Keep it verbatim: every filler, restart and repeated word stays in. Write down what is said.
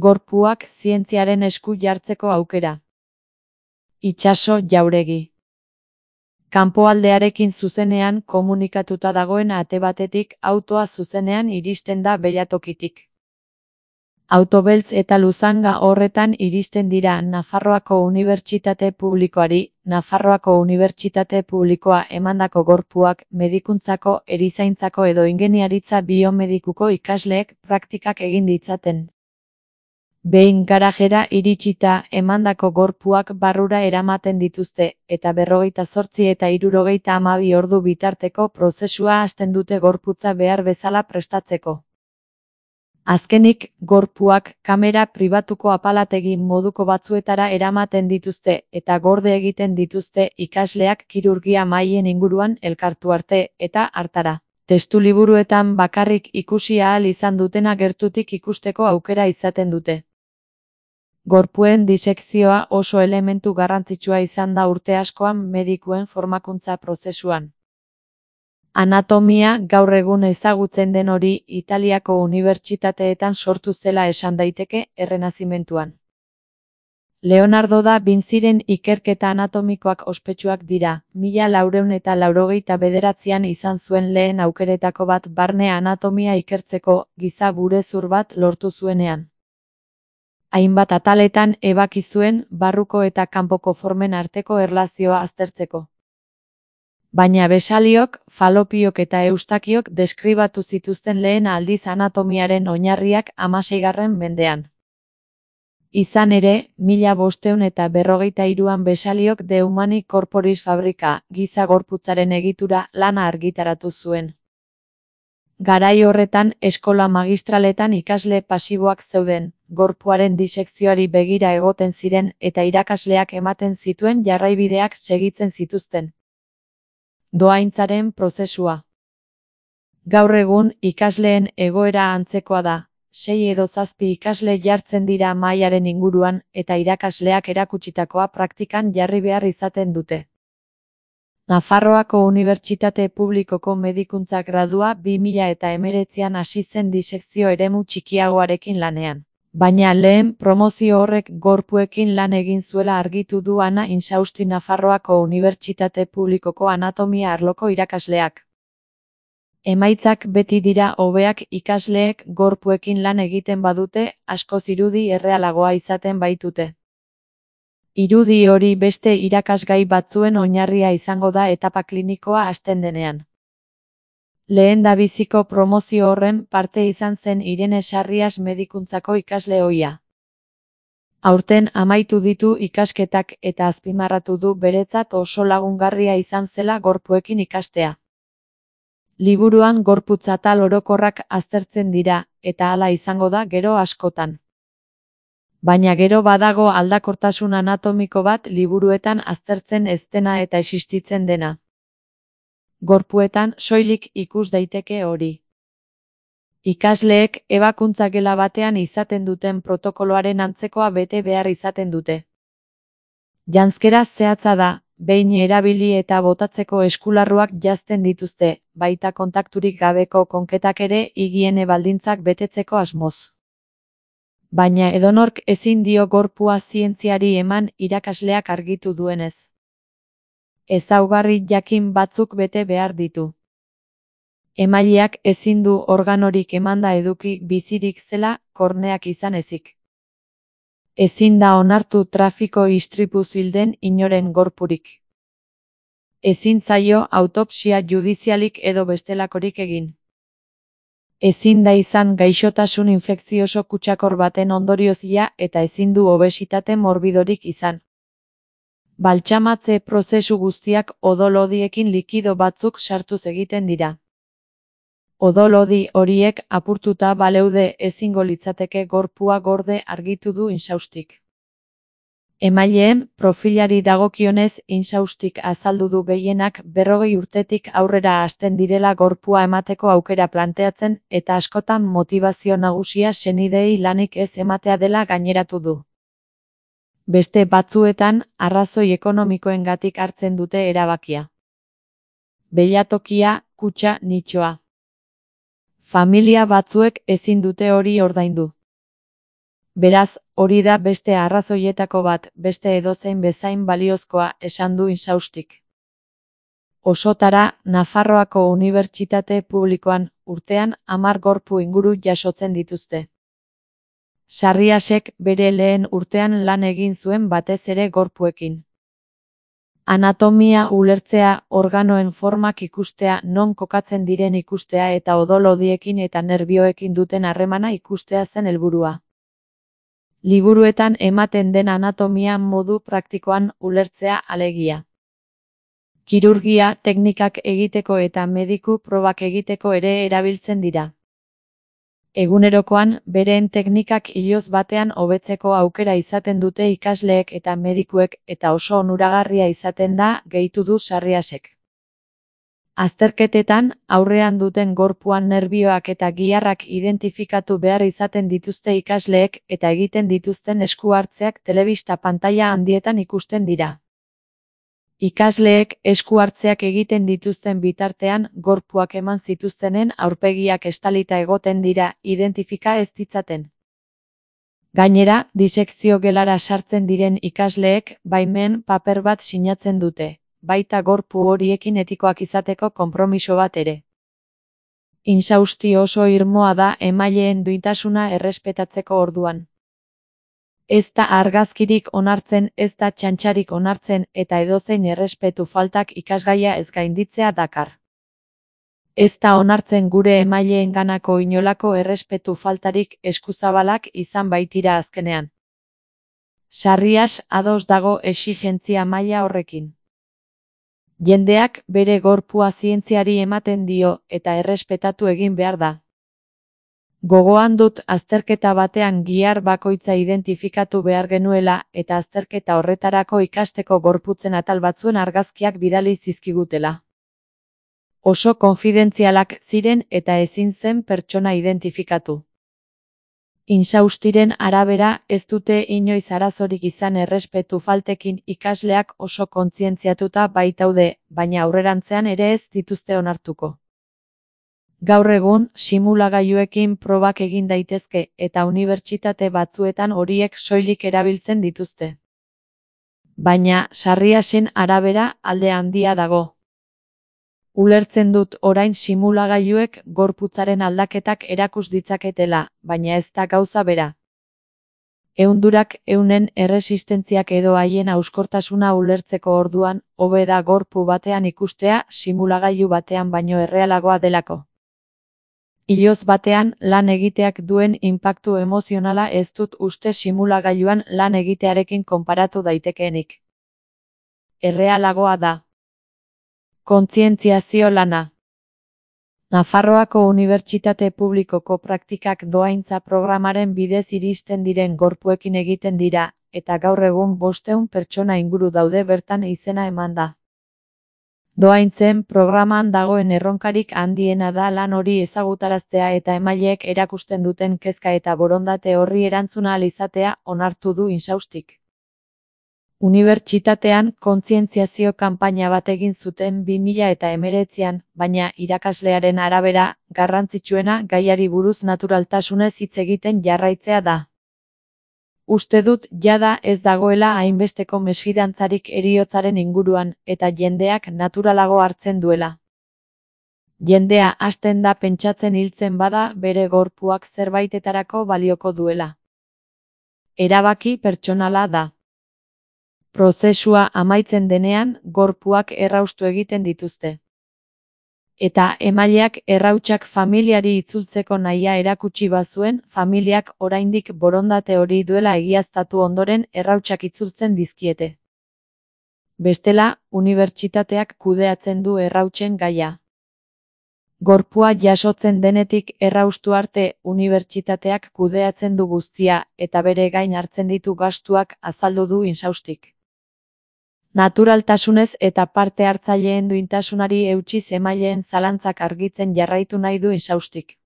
Gorpuak zientziaren esku jartzeko aukera. Itsaso Jauregi. Kanpoaldearekin zuzenean komunikatuta dagoen ate batetik autoa zuzenean iristen da belatokitik. Auto beltz eta luzanga horretan iristen dira Nafarroako Unibertsitate Publikoari, Nafarroako Unibertsitate Publikoa emandako gorpuak medikuntzako, erizaintzako edo ingeniaritza biomedikuko ikasleek praktikak egin ditzaten. Behin garajera iritsita emandako gorpuak barrura eramaten dituzte, eta berrogeita zortzi eta hirurogeita hamabi ordu bitarteko prozesua hasten dute gorputza behar bezala prestatzeko. Azkenik, gorpuak kamera pribatuko apalategi moduko batzuetara eramaten dituzte eta gorde egiten dituzte ikasleak kirurgia mahaien inguruan elkartu arte eta hartara. Testuliburuetan bakarrik ikusi ahal izan dutena gertutik ikusteko aukera izaten dute. Gorpuen disekzioa oso elementu garrantzitsua izan da urte askoan medikuen formakuntza prozesuan. Anatomia gaur egun ezagutzen den hori Italiako unibertsitateetan sortu zela esan daiteke Errenazimentuan. Leonardo da Vinciren ikerketa anatomikoak ospetsuak dira, mila laurehun eta laurogeita bederatzian izan zuen lehen aukeretako bat barne anatomia ikertzeko giza burezur bat lortu zuenean. Hainbat ataletan ebaki zuen barruko eta kanpoko formen arteko erlazioa aztertzeko. Baina Besaliok, Falopiok eta Eustakiok deskribatu zituzten lehen aldiz anatomiaren oinarriak hamaseigarren mendean. Izan ere, mila bostehun eta berrogeita hiruan Besaliok De Humani Corporis Fabrica, giza gorputzaren egitura lana argitaratu zuen. Garai horretan eskola magistraletan ikasle pasiboak zeuden, gorpuaren disekzioari begira egoten ziren eta irakasleak ematen zituen jarraibideak segitzen zituzten. Dohaintzaren prozesua. Gaur egun ikasleen egoera antzekoa da, sei edo zazpi ikasle jartzen dira mahaiaren inguruan eta irakasleak erakutsitakoa praktikan jarri behar izaten dute. Nafarroako Unibertsitate Publikoko medikuntza gradua bi mila eta hemeretzian hasi zen disekzio eremu txikiagoarekin lanean. Baina lehen promozio horrek gorpuekin lan egin zuela argitu du Ana Insausti Nafarroako Unibertsitate Publikoko anatomia arloko irakasleak. Emaitzak beti dira hobeak ikasleek gorpuekin lan egiten badute, askoz irudi errealagoa izaten baitute. Irudi hori beste irakasgai batzuen oinarria izango da etapa klinikoa hasten denean. Lehendabiziko promozio horren parte izan zen Irene Sarrias medikuntzako ikasle ohia. Aurten amaitu ditu ikasketak eta azpimarratu du beretzat oso lagungarria izan zela gorpuekin ikastea. Liburuan gorputz atal orokorrak aztertzen dira, eta hala izango da gero askotan. Baina gero badago aldakortasun anatomiko bat liburuetan aztertzen ez dena eta existitzen dena. Gorpuetan soilik ikus daiteke hori. Ikasleek ebakuntza gela batean izaten duten protokoloaren antzekoa bete behar izaten dute. Janzkera zehatza da, behin erabili eta botatzeko eskularruak janzten dituzte, baita kontakturik gabeko konketak ere higiene baldintzak betetzeko asmoz. Baina edonork ezin dio gorpua zientziari eman irakasleak argitu duenez. Ezaugarri jakin batzuk bete behar ditu. Emaileak ezin du organorik emanda eduki bizirik zela, korneak izan ezik. Ezin da onartu trafiko istripuz hil den inoren gorpurik. Ezin zaio autopsia judizialik edo bestelakorik egin. Ezin da izan gaixotasun infekzioso kutsakor baten ondoriozia eta ezin du obesitate morbidorik izan. Baltsamatze prozesu guztiak odol-lodiekin likido batzuk sartuz egiten dira. Odol-lodi horiek apurtuta baleude ezingo litzateke gorpua gorde argitu du Insaustik. Emaileen profilari dagokionez Insaustik azaldu du gehienak berrogei urtetik aurrera hasten direla gorpua emateko aukera planteatzen eta askotan motibazio nagusia senideei lanik ez ematea dela gaineratu du. Beste batzuetan arrazoi ekonomikoengatik hartzen dute erabakia. Belatokia, kutxa, nitxoa. Familia batzuek ezin dute hori ordaindu. Beraz, hori da beste arrazoietako bat, beste edozein bezain baliozkoa, esan du Insaustik. Osotara, Nafarroako Unibertsitate Publikoan, urtean hamar gorpu inguru jasotzen dituzte. Sarriasek bere lehen urtean lan egin zuen batez ere gorpuekin. Anatomia ulertzea, organoen formak ikustea, non kokatzen diren ikustea eta odol-hodiekin eta nerbioekin duten harremana ikustea zen helburua. Liburuetan ematen den anatomia modu praktikoan ulertzea alegia. Kirurgia teknikak egiteko eta mediku probak egiteko ere erabiltzen dira. Egunerokoan, bereen teknikak iloz batean hobetzeko aukera izaten dute ikasleek eta medikuek eta oso onuragarria izaten da, gehitu du Sarriasek. Azterketetan, aurrean duten gorpuan nerbioak eta giharrak identifikatu behar izaten dituzte ikasleek eta egiten dituzten esku hartzeak telebista pantaila handietan ikusten dira. Ikasleek esku hartzeak egiten dituzten bitartean gorpuak eman zituztenen aurpegiak estalita egoten dira, identifika ez ditzaten. Gainera, disekzio gelara sartzen diren ikasleek baimen paper bat sinatzen dute, baita gorpu horiekin etikoak izateko konpromiso bat ere. Insausti oso irmoa da emaileen duintasuna errespetatzeko orduan. Ez da argazkirik onartzen, ez da txantxarik onartzen eta edozein errespetu faltak ikasgaia ez gainditzea dakar. Ez da onartzen gure emaileenganako inolako errespetu faltarik eskuzabalak izan baitira azkenean. Sarrias ados dago exigentzia maila horrekin. Jendeak bere gorpua zientziari ematen dio eta errespetatu egin behar da. Gogoan dut azterketa batean gihar bakoitza identifikatu behar genuela eta azterketa horretarako ikasteko gorputzen atal batzuen argazkiak bidali zizkigutela. Oso konfidentzialak ziren eta ezin zen pertsona identifikatu. Insaustiren arabera ez dute inoiz arazorik izan errespetu faltekin ikasleak oso kontzientziatuta baitaude, baina aurrerantzean ere ez dituzte onartuko. Gaur egun, simulagailuekin probak egin daitezke eta unibertsitate batzuetan horiek soilik erabiltzen dituzte. Baina, Sarriasen arabera alde handia dago. Ulertzen dut orain simulagailuek gorputzaren aldaketak erakus ditzaketela, baina ez da gauza bera. Ehundurak eunen erresistentziak edo haien hauskortasuna ulertzeko orduan, hobe da gorpu batean ikustea simulagailu batean baino errealagoa delako. Iloz batean lan egiteak duen inpaktu emozionala ez dut uste simulagailuan lan egitearekin konparatu daitekeenik. Errealagoa da. Kontzientziazio lana. Nafarroako Unibertsitate Publikoko praktikak dohaintza programaren bidez iristen diren gorpuekin egiten dira, eta gaur egun bostehun pertsona inguru daude bertan izena eman da. Dohaintzen programan dagoen erronkarik handiena da lan hori ezagutaraztea eta emaileek erakusten duten kezka eta borondate horri erantzuna ahal izatea onartu du Insaustik. Unibertsitatean kontzientziazio kanpaina bat egin zuten bi mila hemeretzian, baina irakaslearen arabera, garrantzitsuena gaiari buruz naturaltasunez hitz egiten jarraitzea da. Uste dut jada ez dagoela hainbesteko mesfidantzarik heriotzaren inguruan, eta jendeak naturalago hartzen duela. Jendea hasten da pentsatzen hiltzen bada bere gorpuak zerbaitetarako balioko duela. Erabaki pertsonala da. Prozesua amaitzen denean, gorpuak erraustu egiten dituzte. Eta emaileak errautsak familiari itzultzeko nahia erakutsi bazuen, familiak oraindik borondate hori duela egiaztatu ondoren errautsak itzultzen dizkiete. Bestela, unibertsitateak kudeatzen du errautsen gaia. Gorpua jasotzen denetik erraustu arte unibertsitateak kudeatzen du guztia eta bere gain hartzen ditu gastuak azaldu du Insaustik. Naturaltasunez eta parte hartzaileen duintasunari eutsiz emaileen zalantzak argitzen jarraitu nahi du Insaustik.